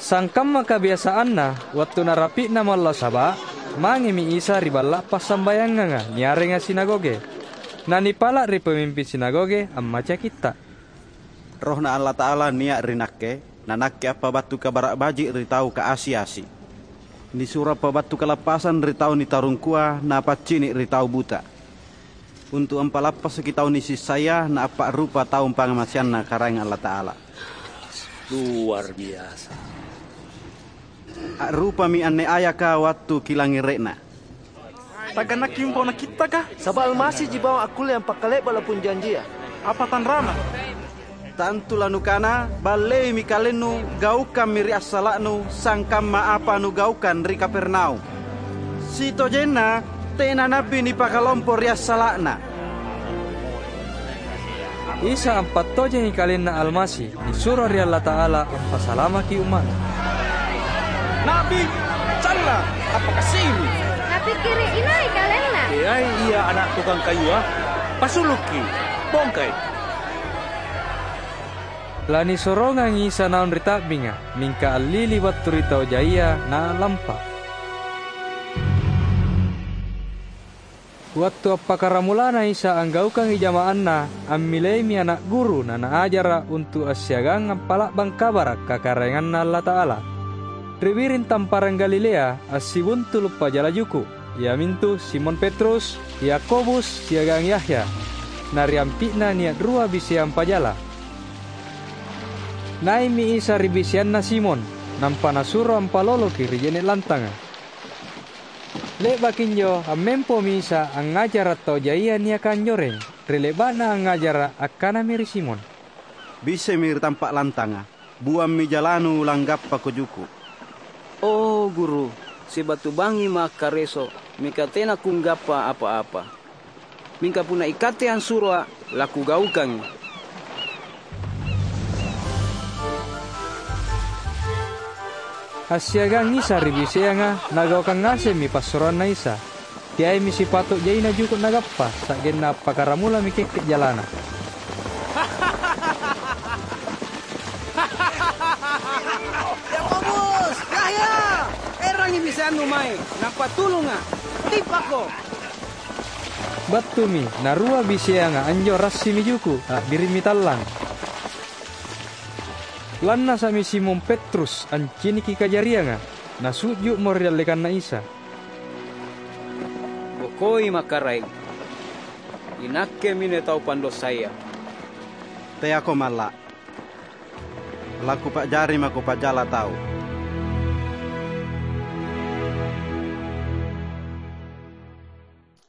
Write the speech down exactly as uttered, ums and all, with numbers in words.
Sangkamma kabiasaanna, wattu narapi'na mallo saba', mangemi Isa ri balla' passambayanganga niarenga sinagoge. Nanipala' ri pamimping sinagoge ammaca kitta'. "RohNa Allata'ala nia' ri Nakke, na Nakke appabattu Kabara' Baji' ri tau kaasi-asi. Nisuro appabattu kalappasang ri tau nitarungkua, na paccini' ri tau buta, untu' ampalappasaki tau nisessaya, na appa'rupa tau pangngamaseanNa Karaeng Allata'ala." Luar biasa. A'rupami anne ayaka wattu kilangngere'na. "Taganaki umpau nakittaka?" "Saba' Almasiji bawang akkulle ampakkale'ba' lapung janjia." "Apa tanrana?" "Tantu lanukana, 'Balleimi kalennu, gaukammi ri assala'nu, sangkamma apa nugaukang ri Kapernaum.' Sitojenna tena na'bi nipakalompo ri assala'na." Isa ampattojengi KalenNa Almasi, nisuro ri Allata'ala ampasalamaki umma'Na. "Na'bi, calla, appakasi'mi!" "Napikkiri' inai KalenNa?" "Teai Ia ana' tukang kayua? Pasulukki, bongkai!" Lanisorongangi Isa naung ri ta'binga, mingka allili battu ri tau jaia na a'lampa. Wattu appakkaramulana Isa anggaukangi jama'anNa, ammileimi ana' guru na naajara' untu' assiagang ampa'la'bang kabara' kakaraenganNa Allata'ala. Ri biring tamparang Galilea assibuntulu' pajala juku', iamintu Simon Petrus, Yakobus, siagang Yahya. Na ri ampi'na nia' rua biseang pajala. Nai'mi Isa ri biseanna Simon, nampa Nasuro ampaloloki ri je'ne' lantanga. Le'baki anjo ammempomi Isa angngajara' tau jaia niaka anjoreng. Ri le'ba'Na angngajara', akkanami ri Simon, "Bisemi ri tampa' lantanga, buammi jalanu langgappako juku'." "O, Guru, sibatu bangngima' akkareso', mingka tena kunggappa apa-apa. Mingka punna iKatte ansuroA', lakugaukangi." Assiagang Isa ri biseanga, Nagaukang ngasemmi passuroanNa Isa. Teaimi sipato' jaina juku' Nagappa, sa'genna appakkaramulami kekke' jalana. "Yakobus, Yahya! Erangi biseannu mae, nampa tulunga'! Tippako!" Battumi, narua biseanga anjo rassimi juku', a'birimmi tallang. Lannasa'mi Simon Petrus anciniki kajarianga, nasu'ju'mo ri dallekanNa Isa. "Bokoi, Makarai! INakkemi anne tau pandosaya." "Teako malla'. Lakupa'jari mako pajala tau."